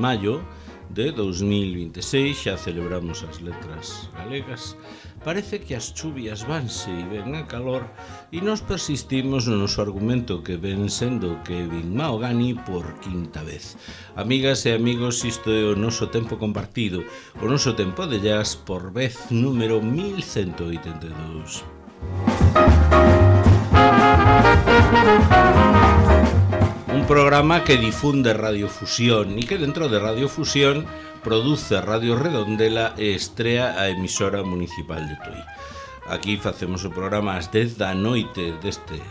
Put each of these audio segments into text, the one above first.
maio de 2026, xa celebramos as letras galegas. Parece que as chuvias vanse e ven a calor e nos persistimos no noso argumento que ven sendo Kevin Mahogany por quinta vez. Amigas e amigos, isto é o noso tempo compartido, o noso tempo de jazz por vez número 1182. Un programa que difunde Radiofusión e que dentro de Radiofusión produce Radio Redondela e estrea a emisora municipal de Tui. Aquí facemos o programa ás 10 da noite deste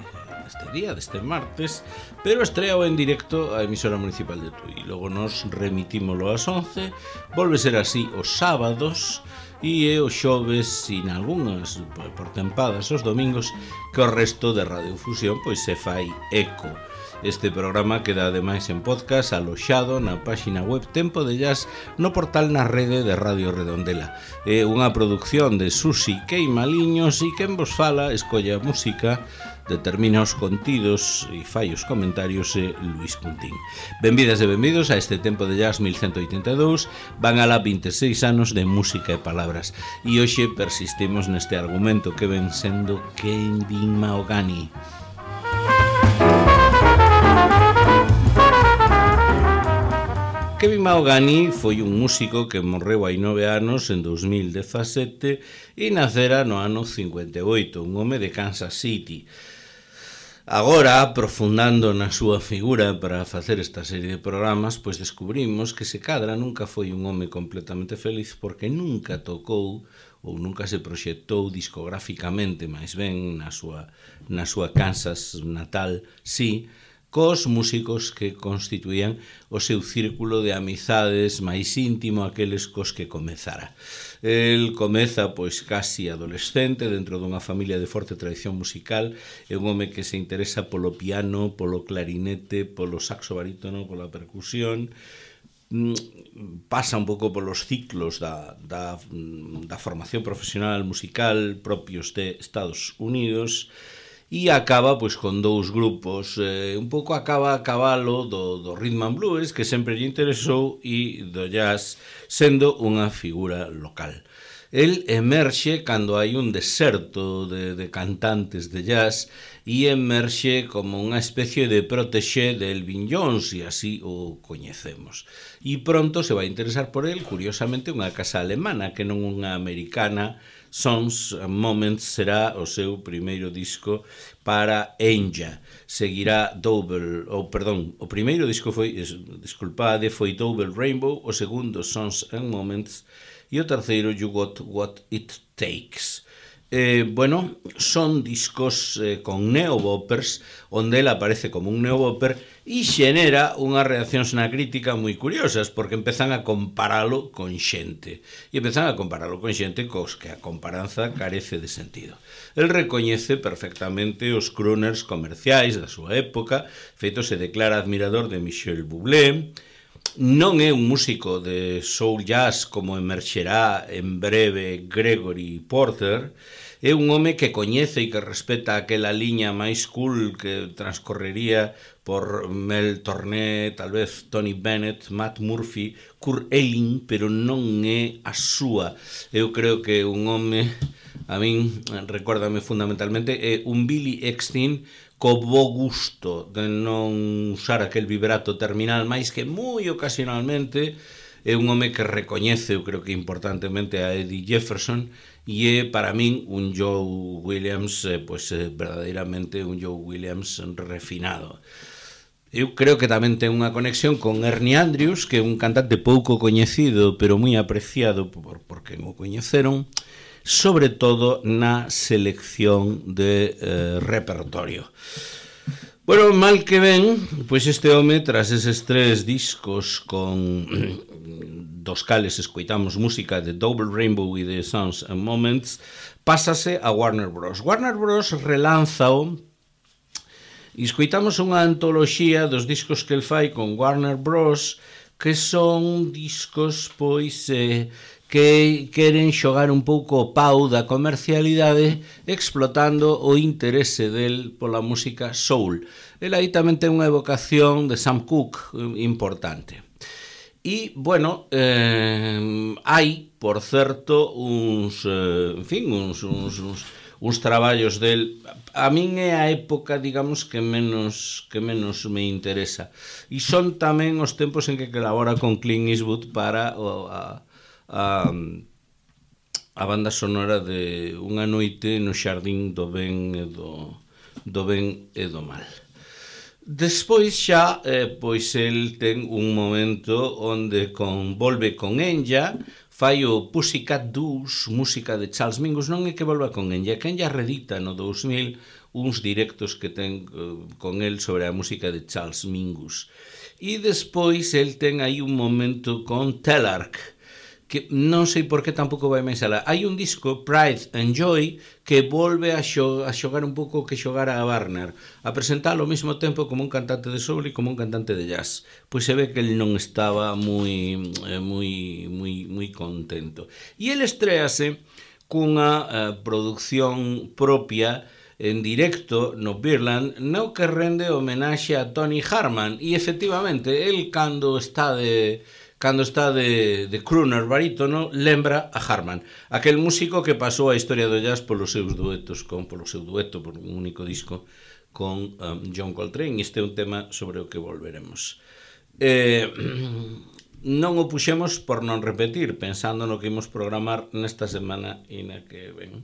martes, pero estreao en directo a emisora municipal de Tui. Logo nos remitímolo ás 11, volve ser así os sábados e os xoves, sin algunhas por tempadas os domingos, que o resto de Radiofusión pois se fai eco. Este programa queda ademais en podcast aloxado na páxina web Tempo de Jazz no portal na rede de Radio Redondela. É unha produción de Susi Queimaliños e quen vos fala, escolla a música, determina os contidos e fai os comentarios Luis Cuntín. Benvidas e benvidos a este Tempo de Jazz 1182, van alá 26 anos de música e palabras. E hoxe persistimos neste argumento que ven sendo Kevin Mahogany. Kevin Mahogany foi un músico que morreu hai 9 anos en 2017 e nacera no ano 58, un home de Kansas City. Agora, aprofundando na súa figura para facer esta serie de programas, pois descubrimos que se cadra nunca foi un home completamente feliz porque nunca tocou ou nunca se proxectou discográficamente, máis ben na súa Kansas natal, sí, cos músicos que constituían o seu círculo de amizades máis íntimo, aqueles cos que comezara. El comeza pois casi adolescente dentro dunha familia de forte tradición musical, é un home que se interesa polo piano, polo clarinete, polo saxo barítono, pola percusión, pasa un pouco polos ciclos da formación profesional musical propios de Estados Unidos, e acaba pois con dous grupos, un pouco acaba a cabalo do rhythm and blues, que sempre lle interesou, e do jazz, sendo unha figura local. El emerxe cando hai un deserto de cantantes de jazz e emerxe como unha especie de protexé de Elvin Jones, e así o coñecemos. E pronto se vai interesar por el, curiosamente, unha casa alemana que non unha americana. Songs and Moments será o seu primeiro disco para Enya. Seguirá o primeiro disco foi Double Rainbow, o segundo Songs and Moments e o terceiro You Got What It Takes. Son discos con neoboppers, onde ele aparece como un neobopper e xenera unhas reaccións na crítica moi curiosas, porque empezan a comparalo con xente cos que a comparanza carece de sentido. El recoñece perfectamente os crooners comerciais da súa época, feito se declara admirador de Michel Bublé. Non é un músico de soul jazz como emerxerá en breve Gregory Porter. É un home que coñece e que respeta aquela liña máis cool que transcorrería por Mel Torné, tal vez Tony Bennett, Matt Murphy, Kurt Elling, pero non é a súa. Eu creo que un home, a min, recórdame fundamentalmente, é un Billy Eckstine co bo gusto de non usar aquel vibrato terminal, máis que moi ocasionalmente. É un home que recoñece, eu creo que importantemente, a Eddie Jefferson, e é para min un Joe Williams, verdadeiramente un Joe Williams refinado. Eu creo que tamén ten unha conexión con Ernie Andrews, que é un cantante pouco coñecido, pero moi apreciado por quen o coñeceron, sobre todo na selección de repertorio. Bueno, mal que ben, pois este home, tras eses 3 discos dos cales escoitamos música de Double Rainbow e de Songs and Moments, pásase a Warner Bros. Warner Bros. Relánzao e escoitamos unha antoloxía dos discos que el fai con Warner Bros., que son discos, pois, que queren xogar un pouco o pau da comercialidade explotando o interese del pola música soul. El aí tamén ten unha evocación de Sam Cooke importante. E, bueno, hai, por certo, uns traballos del. A min é a época, digamos, que menos me interesa. E son tamén os tempos en que colabora con Clint Eastwood para a banda sonora de Unha noite no xardín do ben e do mal. Despois xa, pois el ten un momento onde volve con Enya, fai o Pussycat Dolls, música de Charles Mingus. Non é que volva con Enya, que Enya redita no 2000 uns directos que ten con el sobre a música de Charles Mingus. E despois el ten aí un momento con Telarc, que non sei por que tampouco vai máis alá. Hai un disco, Pride and Joy, que volve a xogar un pouco que xogara a Warner, a presentalo ao mesmo tempo como un cantante de soul e como un cantante de jazz. Pois se ve que el non estaba moi contento. E el estréase cunha producción propia en directo no Beerland, no que rende homenaxe a Tony Harman. E efectivamente, el cando está de crooner barítono, lembra a Harman, aquel músico que pasou a historia do jazz polos seus duetos, polo seu dueto, por un único disco con John Coltrane. Este é un tema sobre o que volveremos. Non o puxemos por non repetir, pensando no que imos programar nesta semana e na que ven.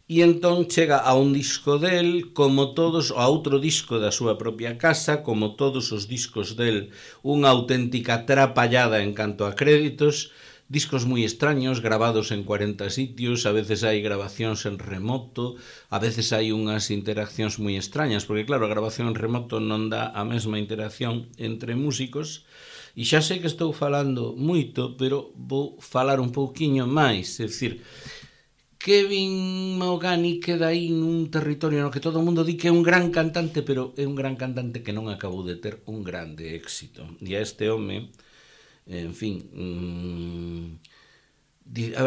E entón chega a un disco del, como todos, a outro disco da súa propia casa, como todos os discos del, unha auténtica trapallada en canto a créditos, discos moi extraños, gravados en 40 sitios, a veces hai grabacións en remoto, a veces hai unhas interaccións moi extrañas, porque claro, a grabación en remoto non dá a mesma interacción entre músicos, e xa sei que estou falando moito, pero vou falar un pouquiño máis, é dicir, Kevin Mahogany queda aí nun territorio no que todo o mundo di que é un gran cantante, pero é un gran cantante que non acabou de ter un grande éxito. E a este home, en fin,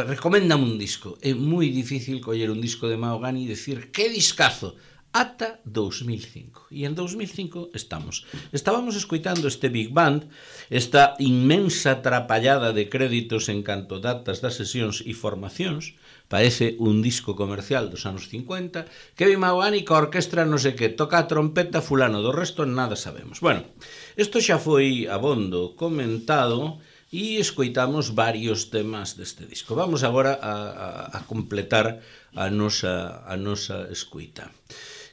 recoméndame un disco. É moi difícil coller un disco de Mahogany e dicir que discazo, ata 2005. E en 2005 estábamos escoitando este Big Band, esta inmensa trapallada de créditos en canto datas das sesións e formacións. Parece un disco comercial dos anos 50, Kevin Mahogany ca orquestra non sei que, toca a trompeta fulano, do resto nada sabemos. Bueno, isto xa foi abondo comentado e escoitamos varios temas deste disco. Vamos agora a completar a nosa escoita.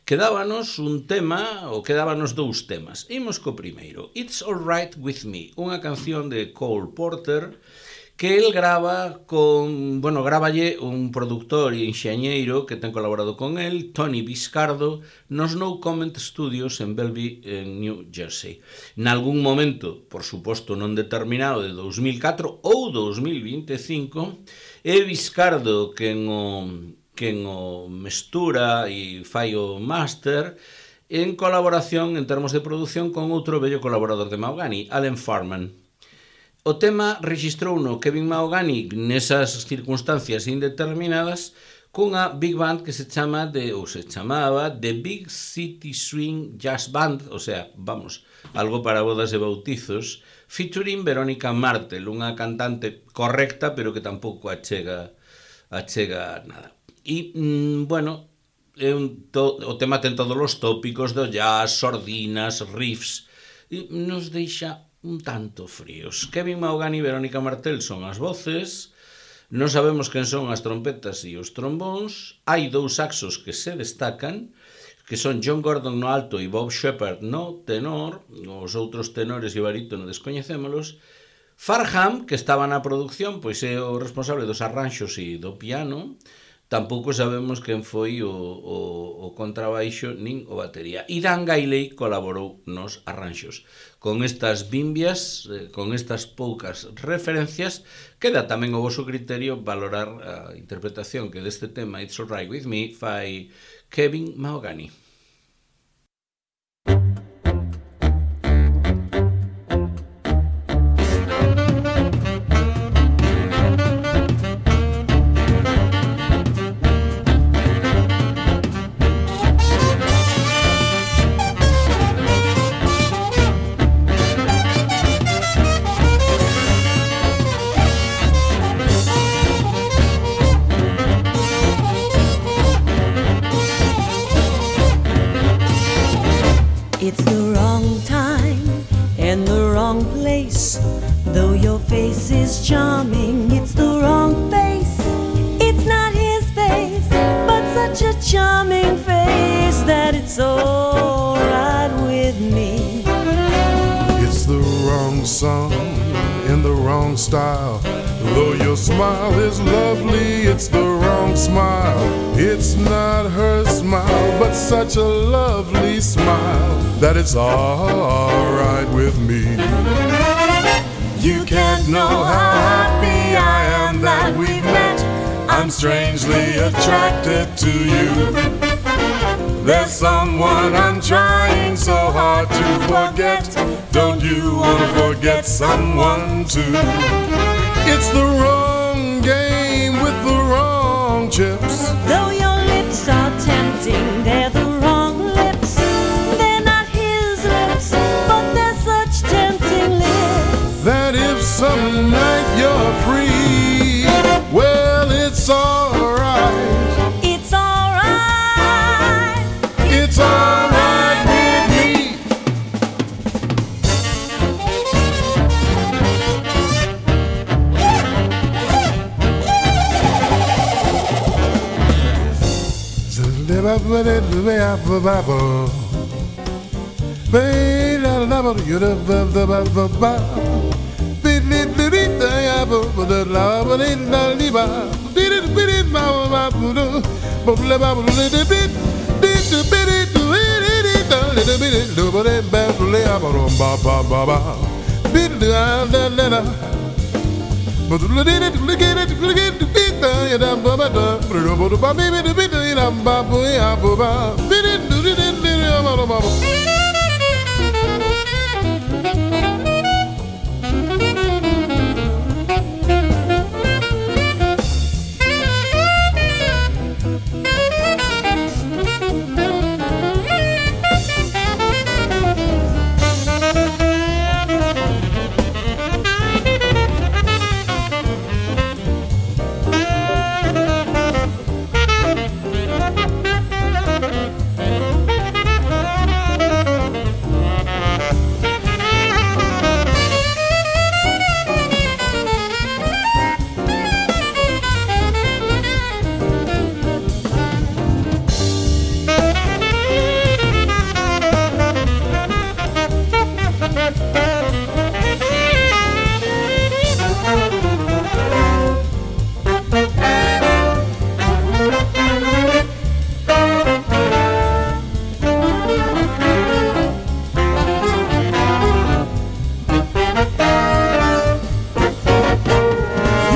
Quedábanos un tema, ou quedábanos dous temas. Imos co primeiro, It's All Right With Me, unha canción de Cole Porter, que el gráballe un productor e enxeñeiro que ten colaborado con el, Tony Biscardo, nos No Comment Studios en Bellevue, en New Jersey. Nalgún momento, por suposto non determinado, de 2004 ou 2025, é Biscardo quen o mestura e fai o máster en colaboración, en termos de produción, con outro bello colaborador de Mahogany, Alan Farman. O tema registrou no Kevin Mahogany nesas circunstancias indeterminadas cunha big band que se chamaba The Big City Swing Jazz Band, o sea, algo para bodas e bautizos, featuring Verónica Martel, unha cantante correcta pero que tampouco achega nada. E, bueno, o tema ten todos os tópicos do jazz, sordinas, riffs, e nos deixa un tanto fríos. Kevin Mahogany e Verónica Martel son as voces, non sabemos quen son as trompetas e os trombóns, hai dous saxos que se destacan, que son John Gordon no alto e Bob Shepard no tenor, os outros tenores e o barítono descoñecémolos. Farham, que estaba na produción, pois é o responsable dos arranxos e do piano. Tampouco sabemos quen foi o contrabaixo nin o batería. E Dan Gailey colaborou nos arranxos. Con estas bimbias, con estas poucas referencias, queda tamén o voso criterio valorar a interpretación que deste tema It's All Right With Me fai Kevin Mahogany. such a charming face that it's all right with me. It's the wrong song in the wrong style. Though your smile is lovely, it's the wrong smile. It's not her smile, but such a lovely smile that it's all right with me. You can't know how happy I am that we've met. I'm strangely attracted to you. There's someone I'm trying so hard to forget. Don't you want to forget someone too? It's the wrong game with the wrong chips. Though your lips are tempting, they're the wrong lips. They're not his lips, but they're such tempting lips. That if some night you're free, well, it's alright. It's alright. It's alright with me.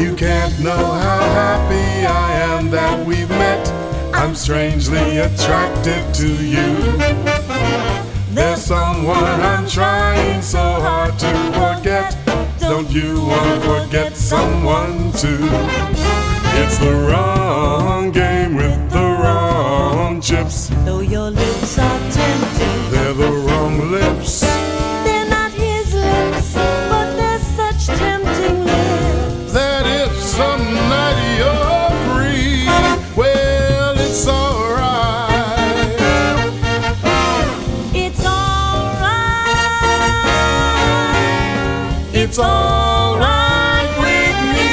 You can't know how happy I am that we've met. I'm strangely attracted to you. There's someone I'm trying so hard to forget. Don't you want to forget someone too? It's the wrong game with the wrong chips. Though your lips are tempting, They're the wrong lips. they're not his lips, but they're such tempting lips. That if some night you're free, well, it's alright. It's alright. It's alright with me.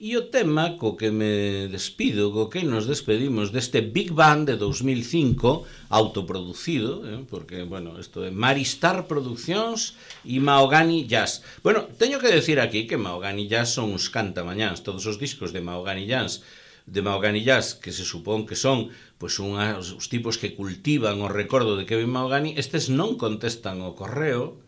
E o tema co que me despido, co que nos despedimos deste Big Band de 2005, autoproducido, porque, bueno, isto é Maristar Produccións e Mahogany Jazz. Bueno, teño que decir aquí que Mahogany Jazz son uns cantamañáns, todos os discos de Mahogany Jazz, que se supón que son pois os tipos que cultivan o recordo de Kevin Mahogany, estes non contestan o correo.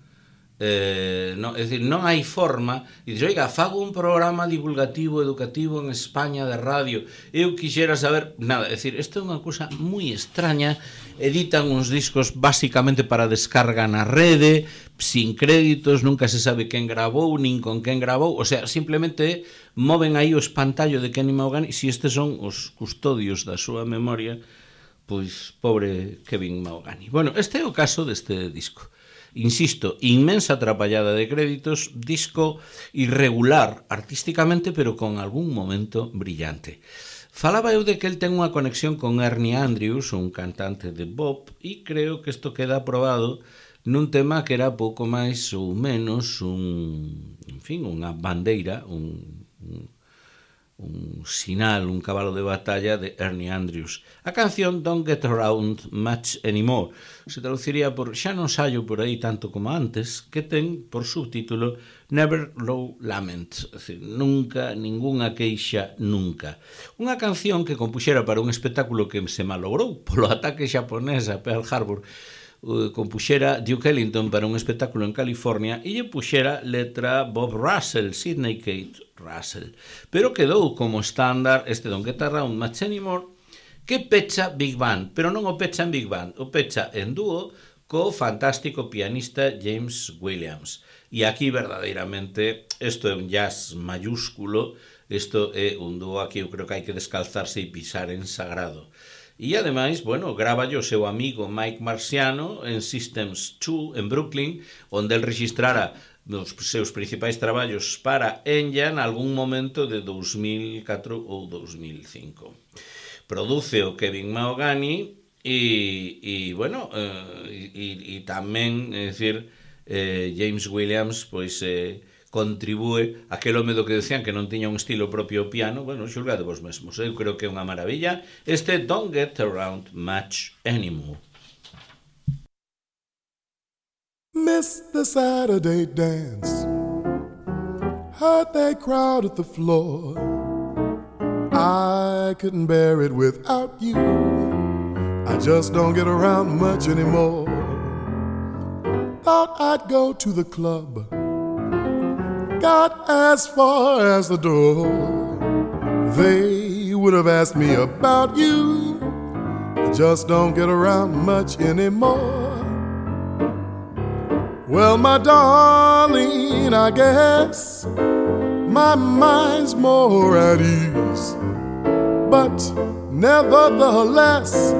No, é dicir, non hai forma e dices, oiga, fago un programa divulgativo educativo en España de radio, eu quixera saber nada, é dicir, isto é unha cousa moi extraña, editan uns discos basicamente para descarga na rede, sin créditos, nunca se sabe quen gravou nin con quen gravou, o sea, simplemente moven aí o espantallo de Kenny Mahogany. Se estes son os custodios da súa memoria, pois pobre Kevin Mahogany. Bueno, este é o caso deste disco. Insisto, inmensa atrapallada de créditos, disco irregular artísticamente, pero con algún momento brillante. Falaba eu de que el ten unha conexión con Ernie Andrews, un cantante de bop, e creo que isto queda aprobado nun tema que era pouco máis ou menos unha bandeira, un sinal, un cabalo de batalla de Ernie Andrews. A canción Don't Get Around Much Anymore se traduciría por Xa non saio por aí tanto como antes, que ten por subtítulo Never Low Lament, é dicir, nunca, ningunha queixa, nunca. Unha canción que compuxera para un espectáculo que se malogrou polo ataque xaponés a Pearl Harbor. Compuxera Duke Ellington para un espectáculo en California e lle puxera letra Bob Russell, Sidney Kate Russell, pero quedou como estándar este Don't Get Around Much Anymore, que pecha Big Band, pero non o pecha en Big Band, o pecha en dúo co fantástico pianista James Williams. E aquí verdadeiramente isto é un jazz mayúsculo, isto é un dúo aquí eu creo que hai que descalzarse e pisar en sagrado. E ademais, bueno, grava o seu amigo Mike Marciano en Systems 2 en Brooklyn, onde el registrara os seus principais traballos para Enya en algún momento de 2004 ou 2005. Produce o Kevin Mahogany e bueno, e tamén, é dicir, James Williams, pois contribúe aquel home do que decían que non tiña un estilo propio o piano, bueno, xulgade vos mesmos, eu creo que é unha maravilla este Don't Get Around Much Anymore. Miss the Saturday dance, heard they crowd at the floor. I couldn't bear it without you, I just don't get around much anymore. Thought I'd go to the club, got as far as the door. They would have asked me about you, I just don't get around much anymore. Well, my darling, I guess my mind's more at ease, but nevertheless,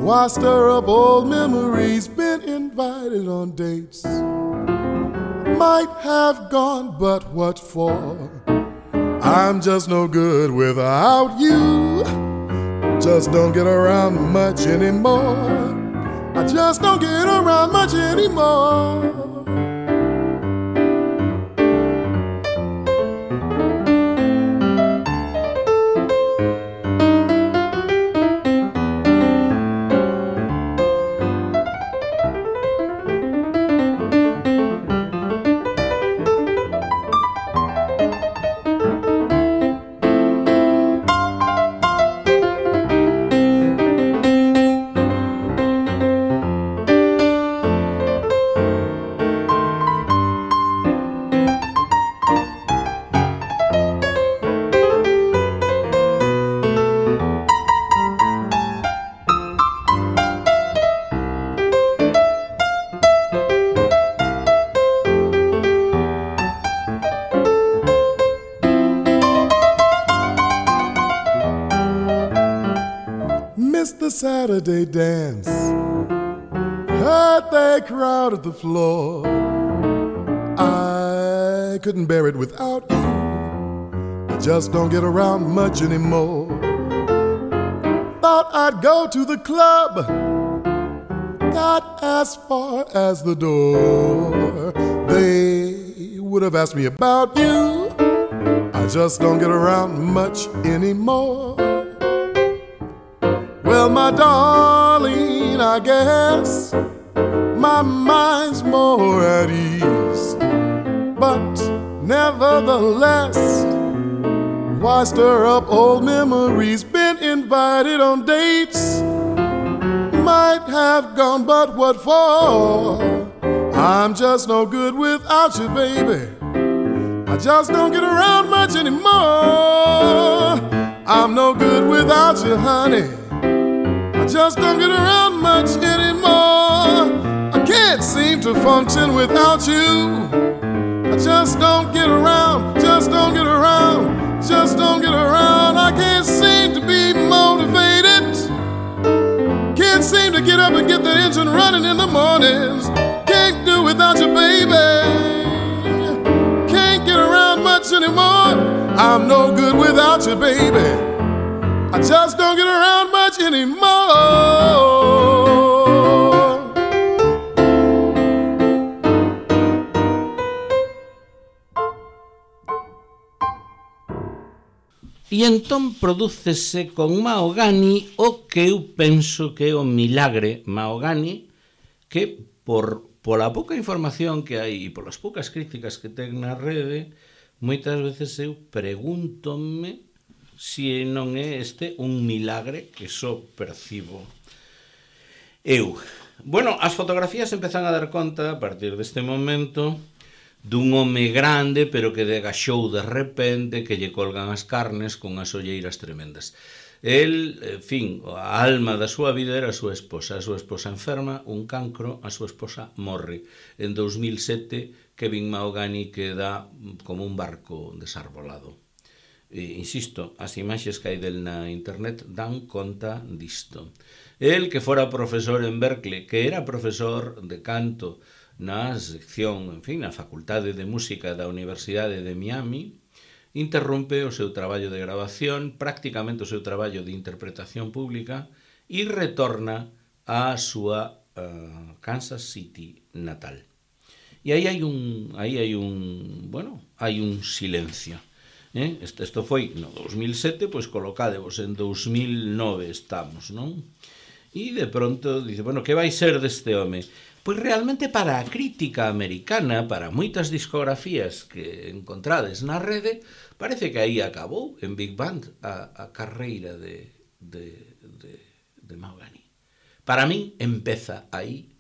why stir up old memories? Been invited on dates, might have gone, but what for? I'm just no good without you, just don't get around much anymore. I just don't get around much anymore. Saturday dance, heard they crowded the floor. I couldn't bear it without you, I just don't get around much anymore. Thought I'd go to the club, got as far as the door. They would have asked me about you, I just don't get around much anymore. Well, my darling, I guess my mind's more at ease, but nevertheless, why stir up old memories? Been invited on dates, might have gone, but what for? I'm just no good without you, baby, I just don't get around much anymore. I'm no good without you, honey, I just don't get around much anymore. I can't seem to function without you, I just don't get around, just don't get around, just don't get around. I can't seem to be motivated, can't seem to get up and get the engine running in the mornings. Can't do without you, baby, can't get around much anymore. I'm no good without you, baby, I just don't get around much anymore. E entón prodúcese con Mahogany o que eu penso que é o milagre Mahogany, que pola pouca información que hai e polas poucas críticas que ten na rede, moitas veces eu pregúntome se non é este un milagre que só percibo eu. Bueno, as fotografías empezan a dar conta a partir deste momento dun home grande, pero que degachou de repente, que lle colgan as carnes con as olleiras tremendas. El, en fin, a alma da súa vida era a súa esposa enferma, un cancro, a súa esposa morre. En 2007, Kevin Mahogany queda como un barco desarbolado. Insisto, as imaxes que hai del na internet dan conta disto. El, que fora profesor en Berkeley, que era profesor de canto na sección, en fin, na Facultade de Música da Universidade de Miami, interrompe o seu traballo de grabación, prácticamente o seu traballo de interpretación pública, e retorna á súa Kansas City natal. E aí hai un silencio. Isto foi no 2007, pois colocádevos en 2009 estamos, non? E de pronto dice, bueno, que vai ser deste home? Pois realmente para a crítica americana, para moitas discografías que encontrades na rede, parece que aí acabou en Big Band a carreira de Mahogany. Para min empeza aí,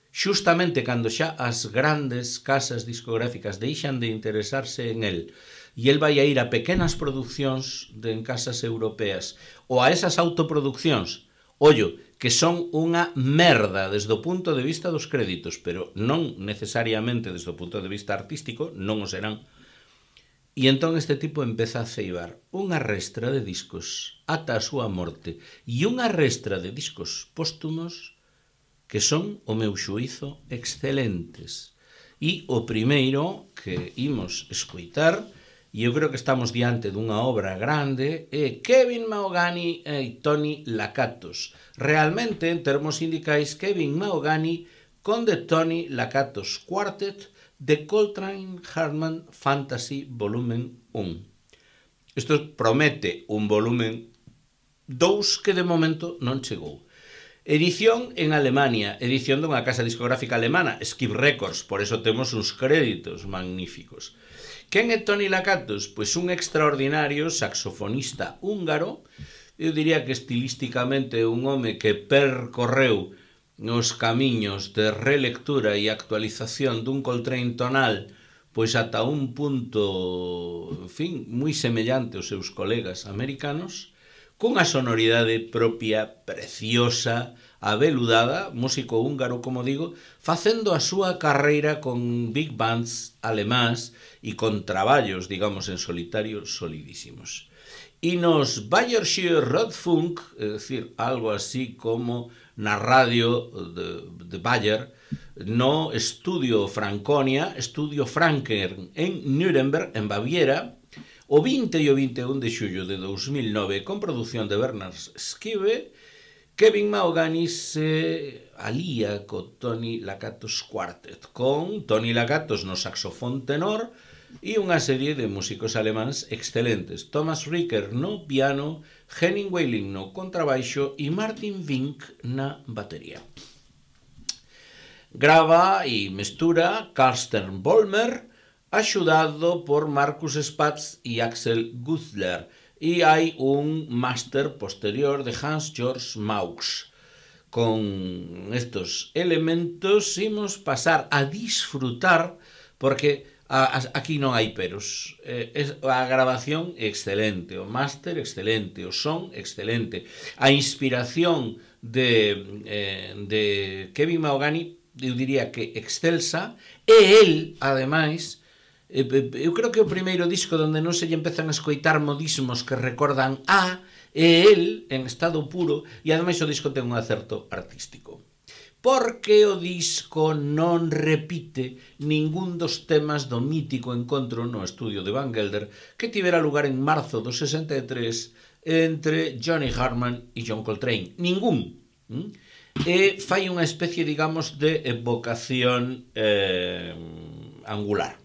xustamente cando xa as grandes casas discográficas deixan de interesarse en el e el vai a ir a pequenas produccións en casas europeas ou a esas autoproduccións, ollo, que son unha merda desde o punto de vista dos créditos, pero non necesariamente desde o punto de vista artístico, non o serán. E entón este tipo empeza a ceibar unha restra de discos ata a súa morte e unha restra de discos póstumos que son, o meu xuízo, excelentes. E o primeiro que imos escoitar, e eu creo que estamos diante dunha obra grande, é Kevin Mahogany e Tony Lakatos. Realmente, en termos sindicais, Kevin Mahogany con The Tony Lakatos Quartet de Coltrane Hartman Fantasy Volumen 1. Isto promete un volumen 2 que de momento non chegou. Edición en Alemania, edición dunha casa discográfica alemana, Skip Records, por eso temos uns créditos magníficos. Quen é Tony Lakatos? Pois un extraordinario saxofonista húngaro, eu diría que estilísticamente un home que percorreu nos camiños de relectura e actualización dun Coltrane tonal pois ata un punto, en fin, moi semellante aos seus colegas americanos, cunha sonoridade propia, preciosa, aveludada, músico húngaro, como digo, facendo a súa carreira con big bands alemáns e con traballos, digamos, en solitario solidísimos. E nos Bayer'sche Rundfunk, é dicir, algo así como na radio de Bayer, no Estudio Franconia, Estudio Franken en Nuremberg, en Baviera, o 20 e o 21 de xullo de 2009, con produción de Bernard Skive, Kevin Mahogany se alía co Tony Lakatos Quartet, con Tony Lakatos no saxofón tenor e unha serie de músicos alemáns excelentes. Thomas Ricker no piano, Henning Weiling no contrabaixo e Martin Vink na batería. Grava e mestura Carsten Vollmer, axudado por Markus Spatz e Axel Gutzler, e hai un máster posterior de Hans-Georg Maux. Con estos elementos imos pasar a disfrutar, porque aquí non hai peros. A grabación excelente, o máster excelente, o son excelente. A inspiración de Kevin Mahogany, eu diría que excelsa, e el, ademais, eu creo que o primeiro disco onde non se lle empezan a escoitar modismos que recordan a el en estado puro, e ademais o disco ten un acerto artístico, porque o disco non repite ningún dos temas do mítico encontro no estudio de Van Gelder que tivera lugar en marzo do 63 entre Johnny Hartman e John Coltrane. Ningún. E fai unha especie, digamos, de evocación angular.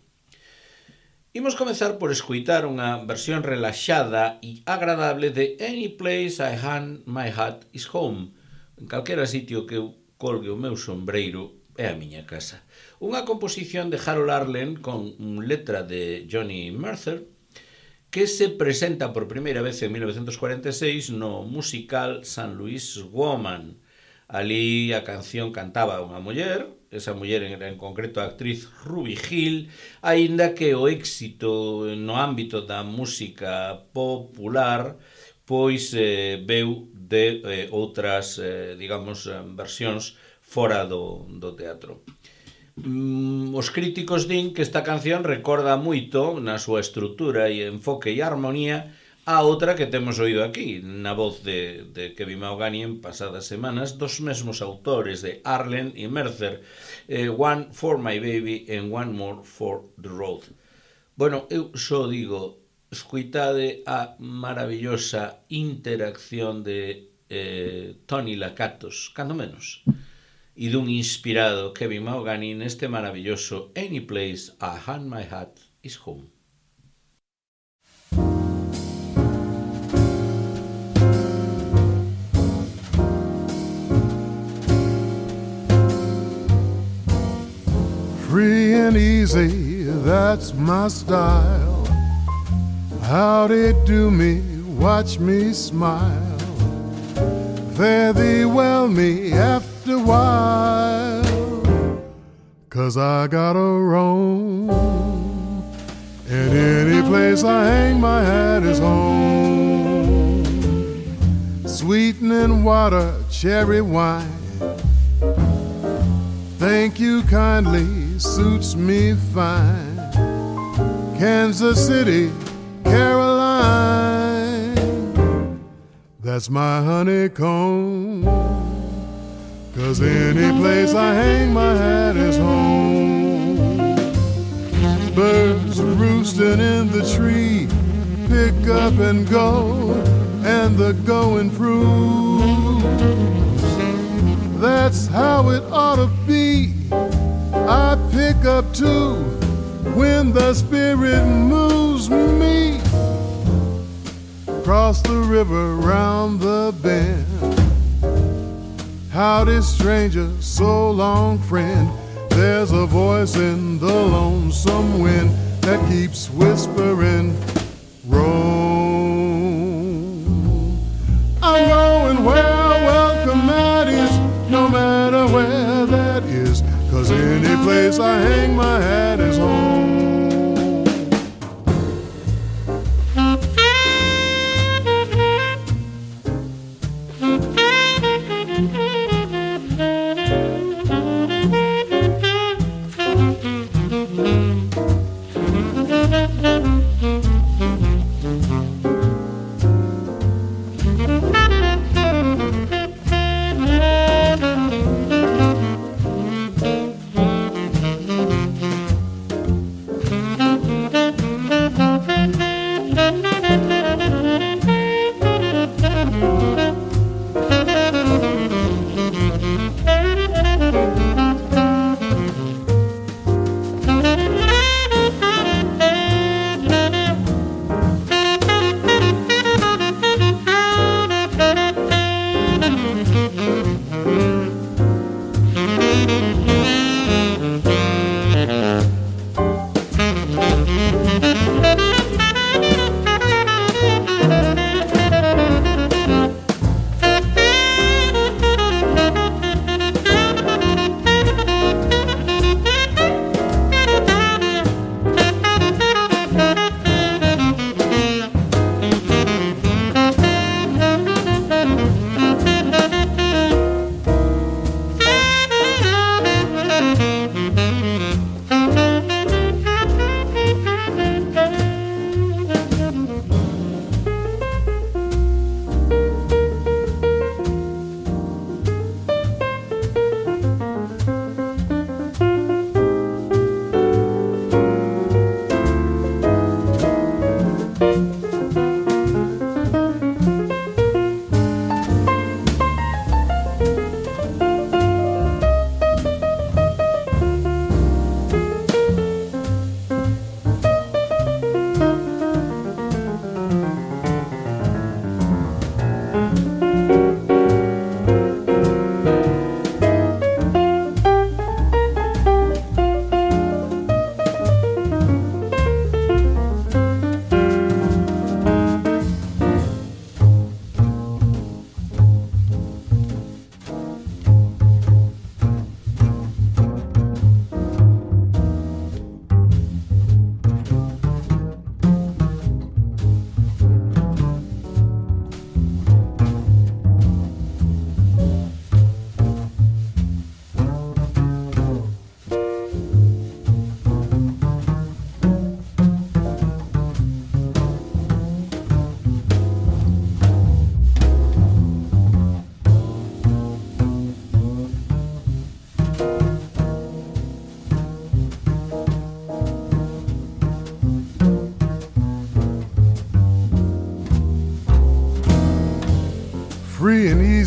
Imos comezar por escoitar unha versión relaxada e agradable de Any Place I Hang My Hat Is Home. En calquera sitio que eu colgue o meu sombreiro é a miña casa. Unha composición de Harold Arlen con letra de Johnny Mercer que se presenta por primeira vez en 1946 no musical St. Louis Woman. Ali a canción cantaba unha muller, esa muller era en concreto a actriz Ruby Hill, aínda que o éxito no ámbito da música popular pois veu de outras, digamos, versións fora do teatro. Os críticos din que esta canción recorda moito na súa estrutura e enfoque e armonía a outra que temos oído aquí, na voz de Kevin Mahogany en pasadas semanas, dos mesmos autores de Arlen e Mercer, One for My Baby and One More for the Road. Bueno, eu só digo, escoitade a maravillosa interacción de Tony Lakatos, cando menos, e dun inspirado Kevin Mahogany neste maravilloso Any Place I Hang My Hat Is Home. Free and easy, that's my style. How'd it do me? Watch me smile. Fare thee well me after a while, 'cause I gotta roam, and any place I hang my hat is home. Sweetening water, cherry wine, thank you kindly, suits me fine. Kansas City, Caroline, that's my honeycomb, 'cause any place I hang my hat is home. Birds roosting in the tree, pick up and go, and the going proves that's how it ought to be. I pick up too when the spirit moves me. Cross the river, round the bend. Howdy, stranger, so long, friend. There's a voice in the lonesome wind that keeps whispering, roam. I'm going where welcome that is, no matter where that is, 'cause any place I hang my hat is home.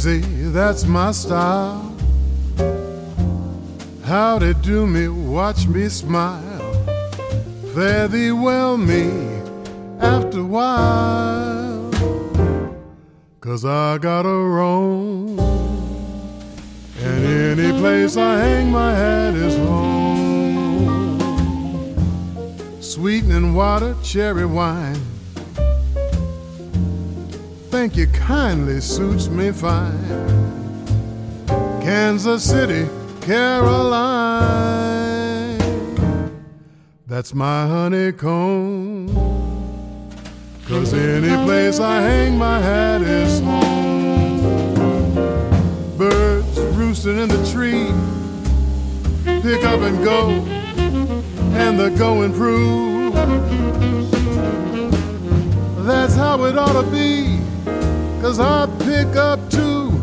easy, that's my style. How they do me, watch me smile. Fare thee well me after a while. 'Cause I gotta roam, and any place I hang my hat is home. Sweetening water, cherry wine, thank you kindly, suits me fine. Kansas City, Caroline, that's my honeycomb. 'Cause any place I hang my hat is home. Birds roosting in the tree, pick up and go, and the going proves. That's how it ought to be, 'cause I pick up too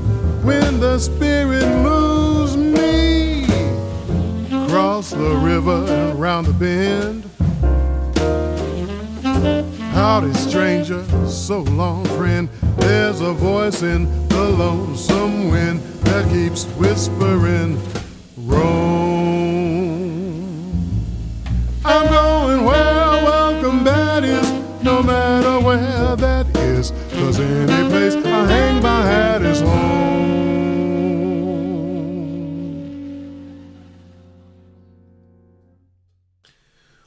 when the spirit moves me. Cross the river and round the bend. Howdy, stranger, so long, friend. There's a voice in the lonesome wind that keeps whispering, roam. I'm going where welcome that is, no matter where that is, 'cause any place I hang my hat is home.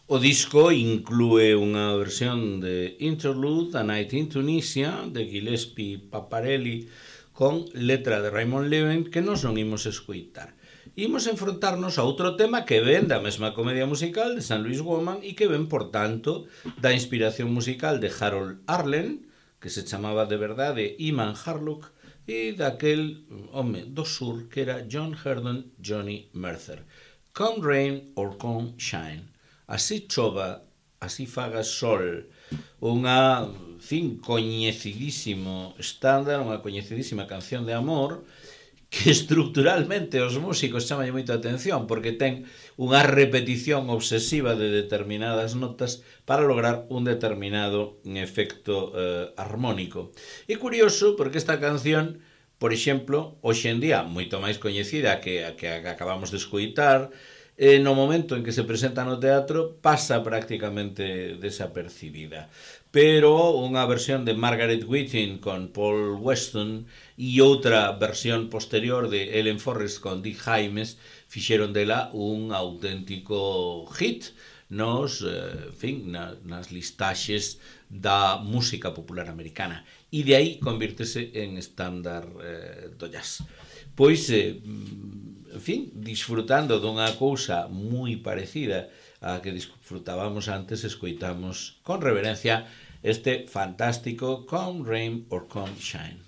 O disco inclúe unha versión de Interlude, A Night in Tunisia, de Gillespie Paparelli, con letra de Raymond Leven, que nos non imos escoitar. Imos enfrontarnos a outro tema que ven da mesma comedia musical de St. Louis Woman e que ven, por tanto, da inspiración musical de Harold Arlen, que se chamaba de verdade Iman Harlock, e daquel home do sur que era John Herdon Johnny Mercer. Come rain or come shine. Así chova, así faga sol. Unha, coñecidísimo estándar, unha coñecidísima canción de amor que estructuralmente os músicos chaman moito a atención porque ten unha repetición obsesiva de determinadas notas para lograr un determinado efecto armónico. É curioso porque esta canción, por exemplo, hoxe en día moito máis coñecida que a que acabamos de escoitar, no momento en que se presenta no teatro pasa prácticamente desapercibida. Pero unha versión de Margaret Whiting con Paul Weston e outra versión posterior de Ellen Forrest con Dick Hymes fixeron dela un auténtico hit nas listaxes da música popular americana. E de aí convírtese en estándar do jazz. Pois, disfrutando dunha cousa moi parecida a que disfrutábamos antes, escoitamos con reverencia este fantástico Come Rain or Come Shine.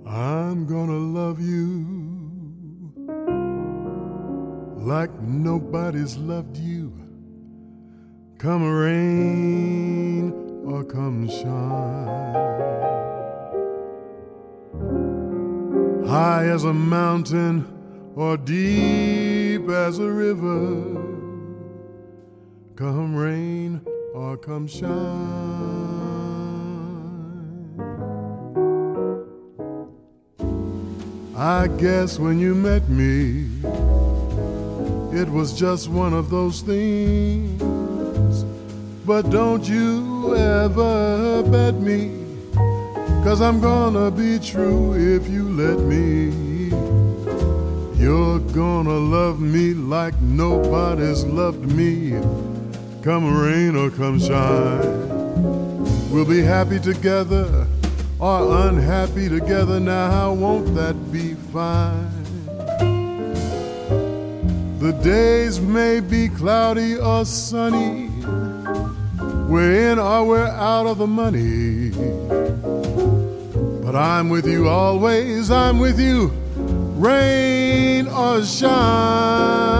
I'm gonna love you like nobody's loved you. Come rain or come shine. High as a mountain or deep as a river. Come rain or come shine. I guess when you met me, it was just one of those things. But don't you ever bet me, 'cause I'm gonna be true if you let me. You're gonna love me like nobody's loved me. Come rain or come shine. We'll be happy together or unhappy together now, won't that be fine? The days may be cloudy or sunny, we're in or we're out of the money, but I'm with you always, I'm with you, rain or shine.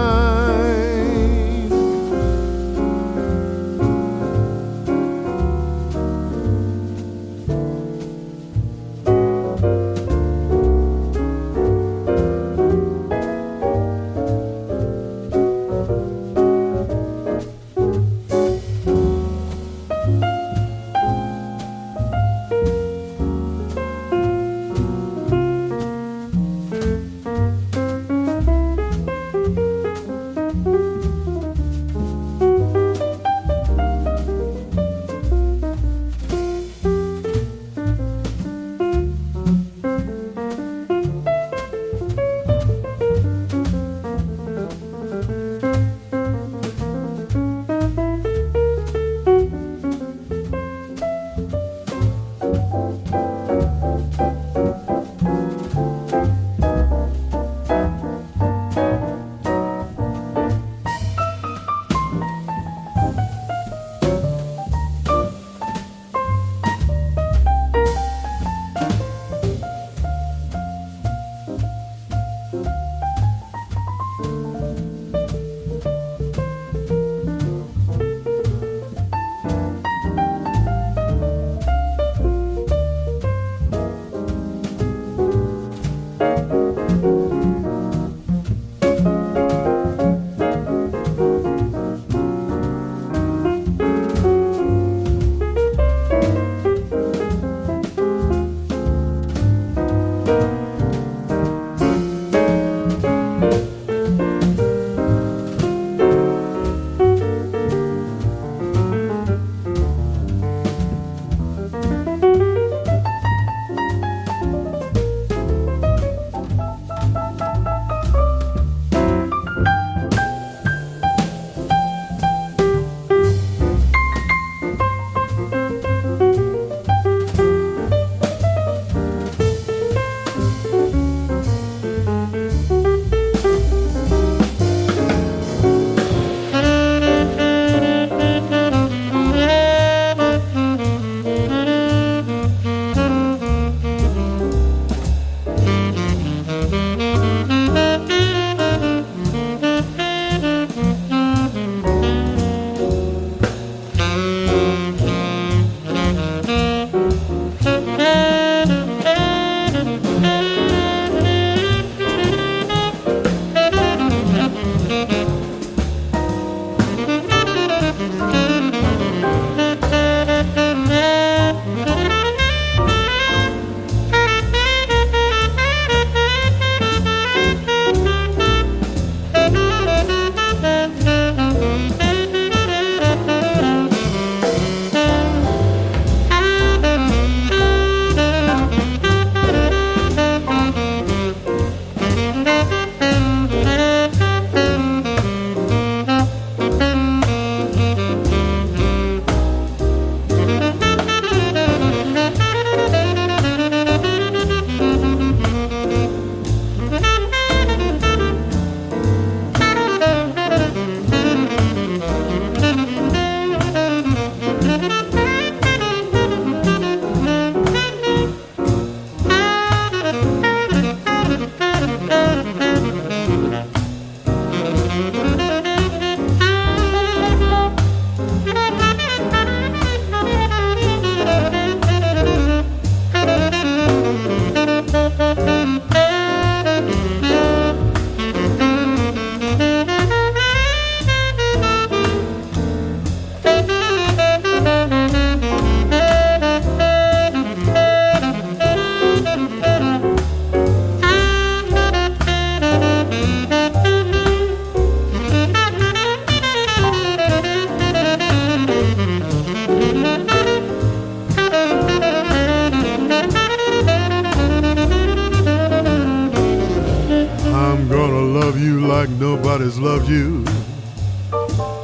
like nobody's loved you.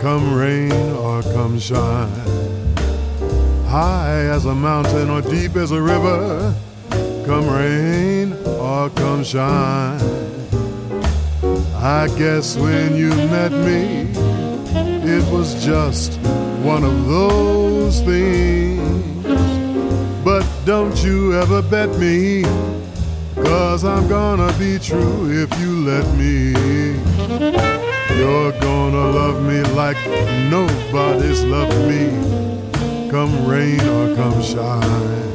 Come rain or come shine, high as a mountain or deep as a river. Come rain or come shine. I guess when you met me, it was just one of those things. But don't you ever bet me, 'cause I'm gonna be true if you let me. You're gonna love me like nobody's loved me. Come rain or come shine.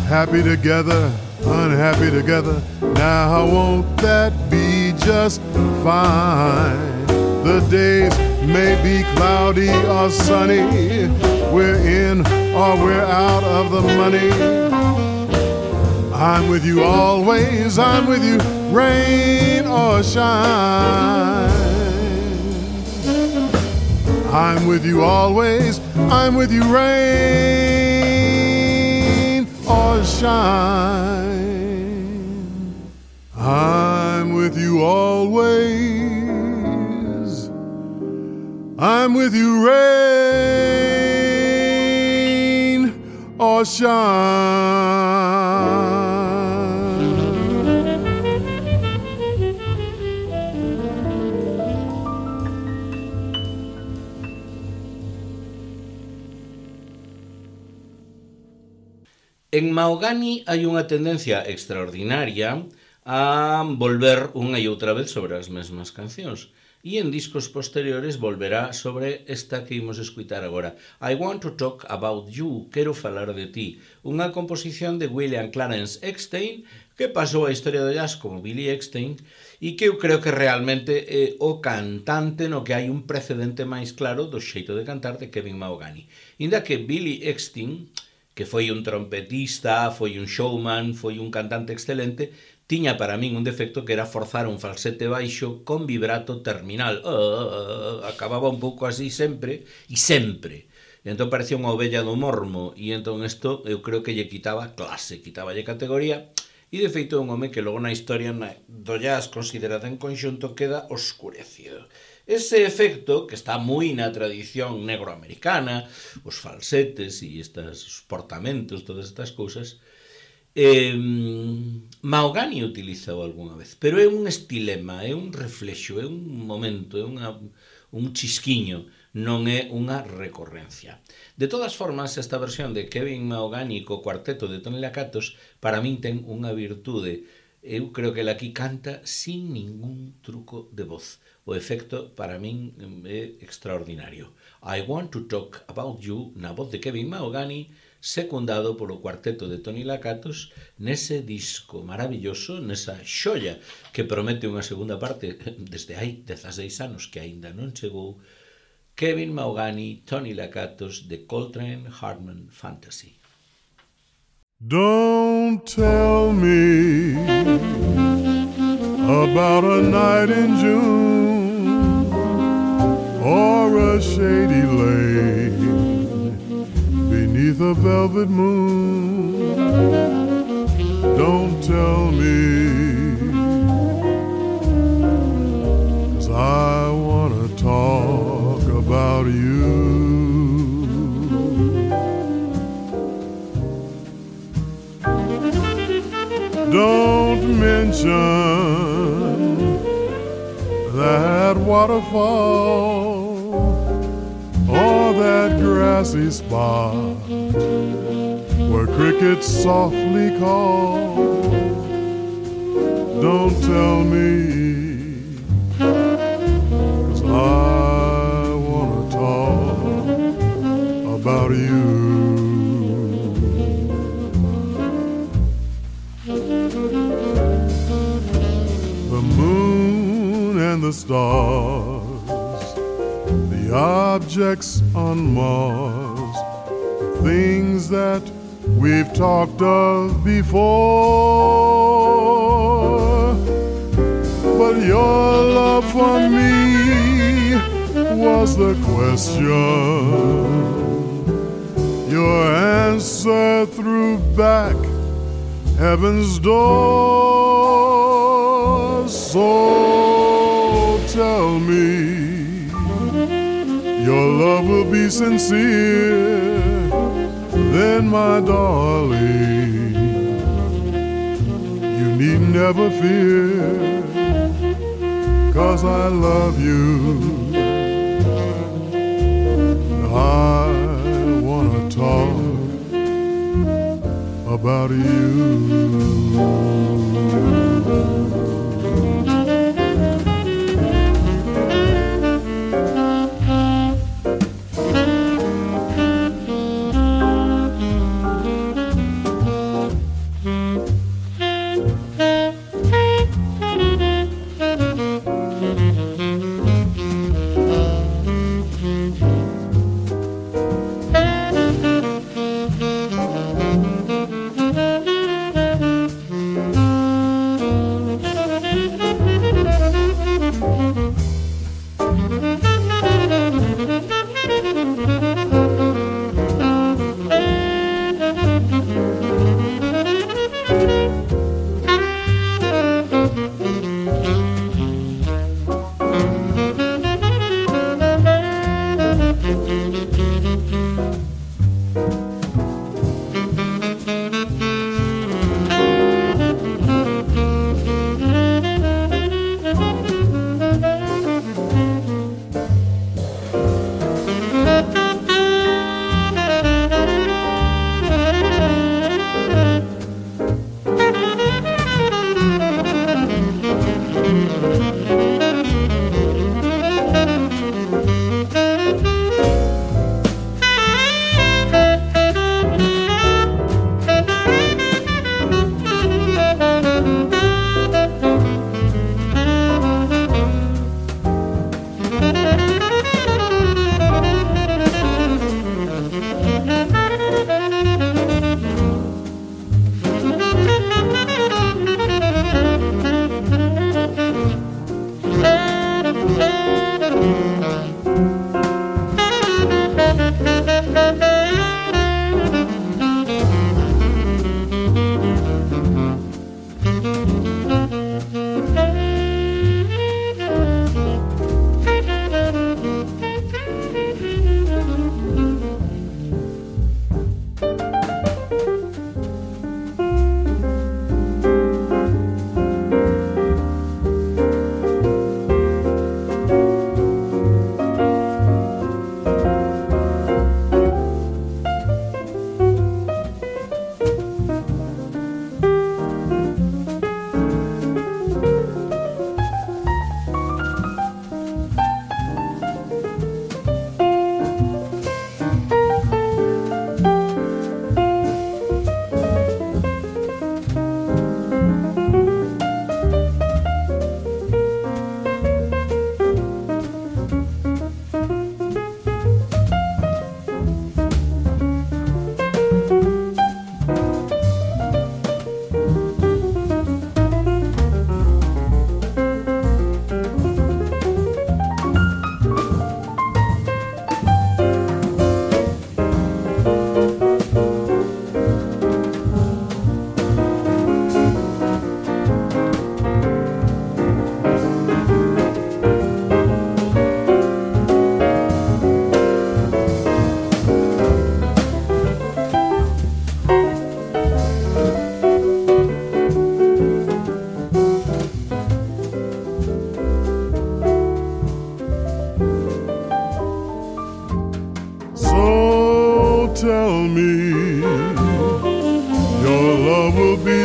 Happy together, unhappy together. Now won't that be just fine? The days may be cloudy or sunny. We're in or we're out of the money. I'm with you always, I'm with you, rain or shine. I'm with you always, I'm with you, rain or shine. I'm with you always, I'm with you, rain or shine. En Mahogany hai unha tendencia extraordinaria a volver unha e outra vez sobre as mesmas cancións. E en discos posteriores volverá sobre esta que imos escutar agora. I Want to Talk About You, Quero Falar de Ti, unha composición de William Clarence Eckstein, que pasou a historia do jazz como Billy Eckstein, e que eu creo que realmente é o cantante no que hai un precedente máis claro do xeito de cantar de Kevin Mahogany. Inda que Billy Eckstein, que foi un trompetista, foi un showman, foi un cantante excelente, tiña para min un defecto que era forzar un falsete baixo con vibrato terminal. Acababa un pouco así sempre, e sempre. E entón parecía unha ovella do mormo, e entón isto eu creo que lle quitaba clase, quitaballe categoría, e de feito é un home que logo na historia do jazz considerada en conxunto queda oscurecido. Ese efecto, que está moi na tradición negroamericana, os falsetes e estes portamentos, todas estas cousas, Mahogany utilizou algunha vez, pero é un estilema, é un reflexo, é un momento, é un chisquiño, non é unha recorrencia. De todas formas, esta versión de Kevin Mahogany co cuarteto de Tony Lakatos para min ten unha virtude. Eu creo que ele aquí canta sin ningún truco de voz. O efecto para min é extraordinario. I Want to Talk About You na voz de Kevin Mahogany, secundado polo cuarteto de Tony Lakatos nese disco maravilloso, nesa xoia que promete unha segunda parte desde hai 16 anos que aínda non chegou. Kevin Mahogany, Tony Lakatos, The Coltrane Hartman Fantasy. Don't tell me about a night in June or a shady lane beneath a velvet moon. Don't tell me, 'cause I wanna talk about you. Don't mention that waterfall or that grassy spot where crickets softly call. Don't tell me, 'cause I wanna talk about you. The stars, the objects on Mars, things that we've talked of before. But your love for me was the question. Your answer threw back heaven's door. So tell me your love will be sincere, then my darling, you need never fear, 'cause I love you. I wanna talk about you.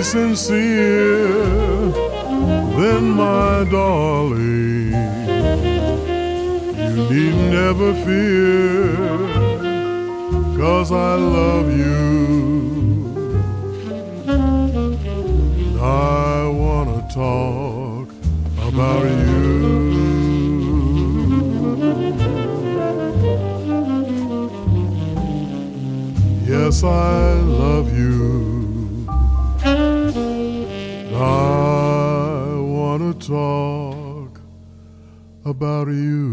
Sincere, then my darling, you need never fear, 'cause I love you. I wanna talk about you. Yes, I love you. I wanna talk about you.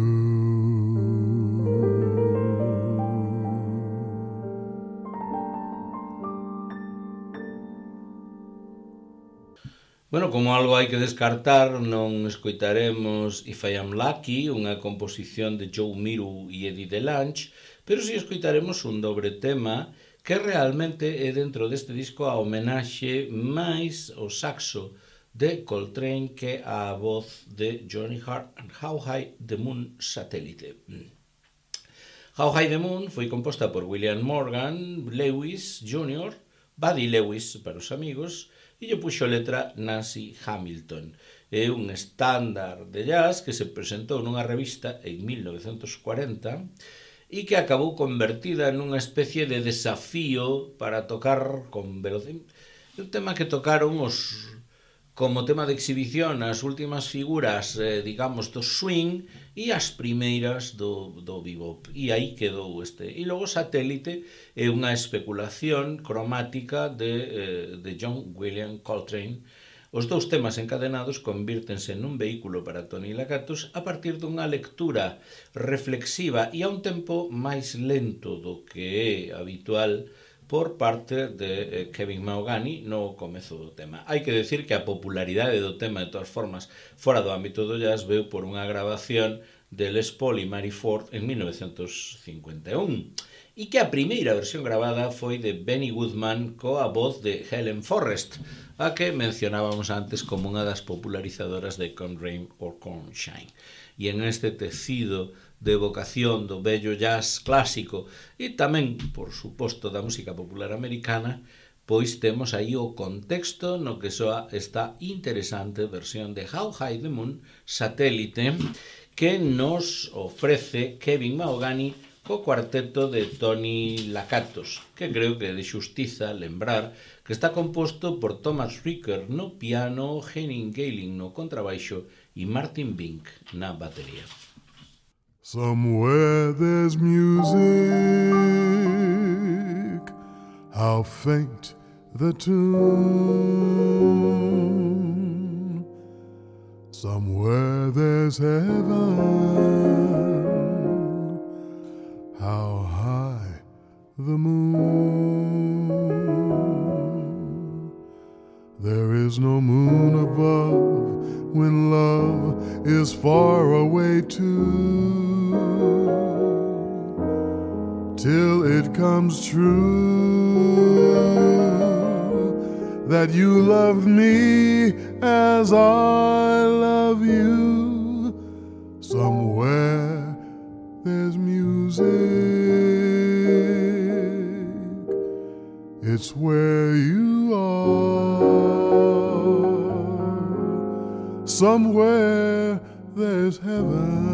Bueno, como algo hai que descartar, non escoitaremos If I Am Lucky, unha composición de Joe Miru e Eddie DeLange, pero si escoitaremos un dobre tema que realmente é dentro deste disco a homenaxe máis ao saxo de Coltrane que a voz de Johnny Hart and How High the Moon Satellite. How High the Moon foi composta por William Morgan Lewis Jr., Buddy Lewis para os amigos, e lle puxo letra Nancy Hamilton. É un estándar de jazz que se presentou nunha revista en 1940 e que acabou convertida nunha especie de desafío para tocar con velocidade. Un tema que tocaron os como tema de exhibición as últimas figuras, digamos, do swing e as primeiras do bebop. E aí quedou este. E logo Satélite é unha especulación cromática de John William Coltrane. Os dous temas encadenados convírtense nun vehículo para Tony Lakatos a partir dunha lectura reflexiva e a un tempo máis lento do que é habitual por parte de Kevin Mahogany no comezo do tema. Hai que decir que a popularidade do tema, de todas formas, fora do ámbito do jazz, veu por unha grabación de Les Paul e Mary Ford en 1951 e que a primeira versión gravada foi de Benny Goodman coa voz de Helen Forrest, a que mencionábamos antes como unha das popularizadoras de Come Rain or Come Shine. E en este tecido de evocación do bello jazz clásico e tamén, por suposto, da música popular americana, pois temos aí o contexto no que soa esta interesante versión de How High the Moon Satélite que nos ofrece Kevin Mahogany co cuarteto de Tony Lakatos, que creo que é de xustiza lembrar que está composto por Thomas Ricker no piano, Henning Geiling no contrabaixo e Martin Bink na batería. Somewhere there's music, how faint the tune. Somewhere there's heaven, how high the moon. There is no moon above when love is far away too. Till it comes true that you love me as I love you. Somewhere there's music, it's where you are. Somewhere there's heaven,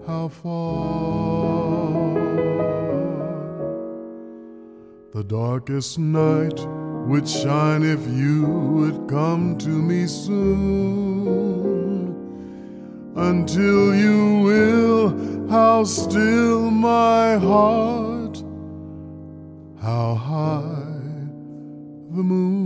how far. The darkest night would shine if you would come to me soon. Until you will, how still my heart, how high the moon.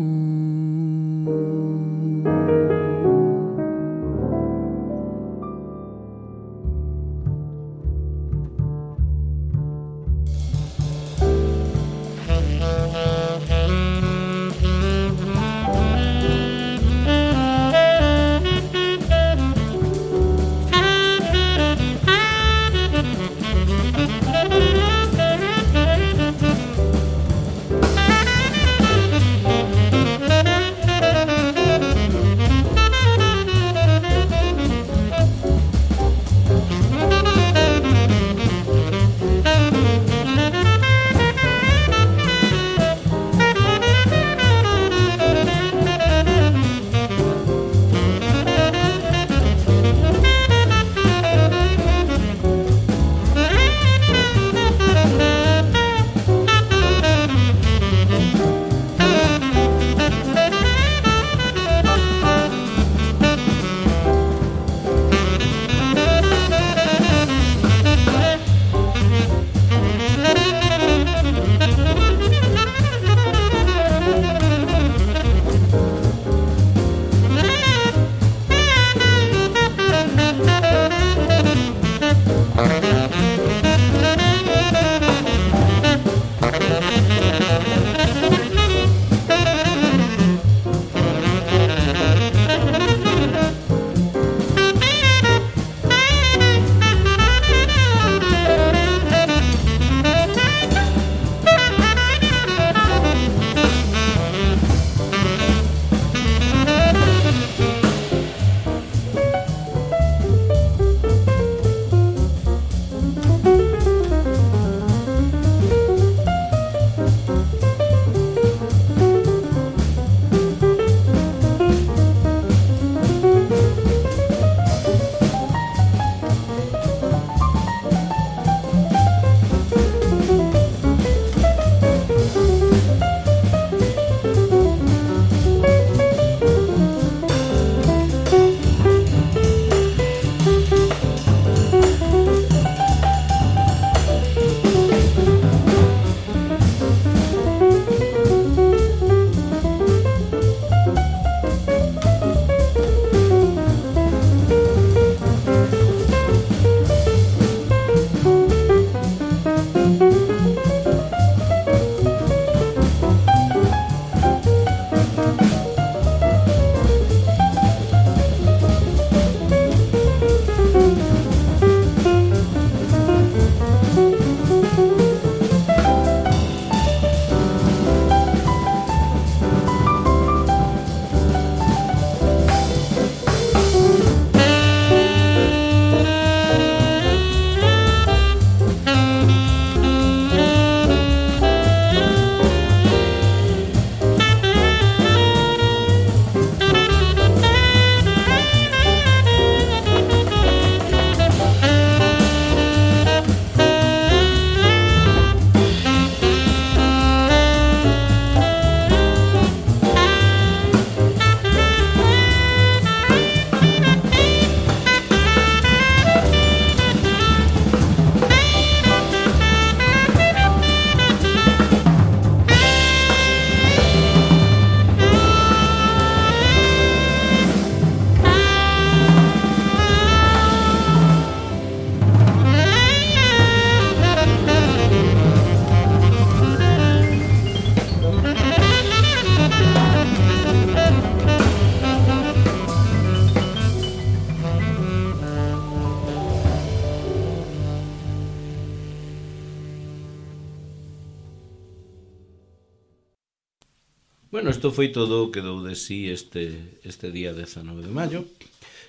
Bueno, isto foi todo o que dou de sí este día 19 de maio.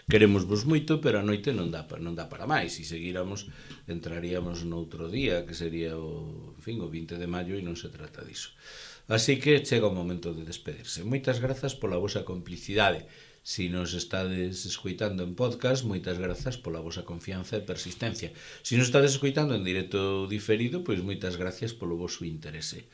Queremosvos moito, pero a noite non dá para máis. Se seguíramos, entraríamos noutro día, que sería o 20 de maio, e non se trata diso. Así que chega o momento de despedirse. Moitas grazas pola vosa complicidade. Se nos estades escoitando en podcast, moitas grazas pola vosa confianza e persistencia. Se nos estades escoitando en directo diferido, pois moitas gracias polo voso interese.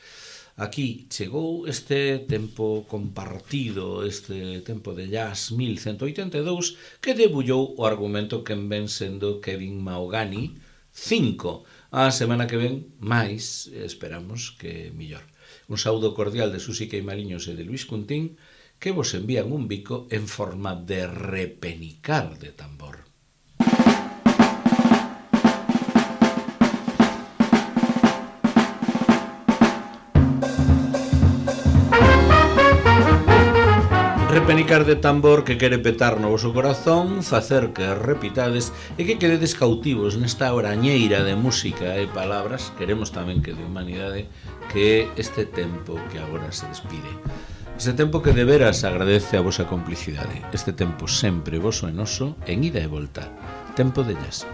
Aquí chegou este tempo compartido, este tempo de jazz 1182, que debullou o argumento que ven sendo Kevin Mahogany 5. A semana que ven, máis, esperamos que millor. Un saúdo cordial de Susi Queimaliños e de Luis Cuntín, que vos envían un bico en forma de repenicar de tambor. Repenicar de tambor que quere petar no voso corazón, facer que repitades e que quededes cautivos nesta orañeira de música e palabras, queremos tamén que de humanidade, que é este tempo que agora se despide. Este tempo que de veras agradece a vosa complicidade. Este tempo sempre voso e noso, en ida e volta. Tempo de jazz.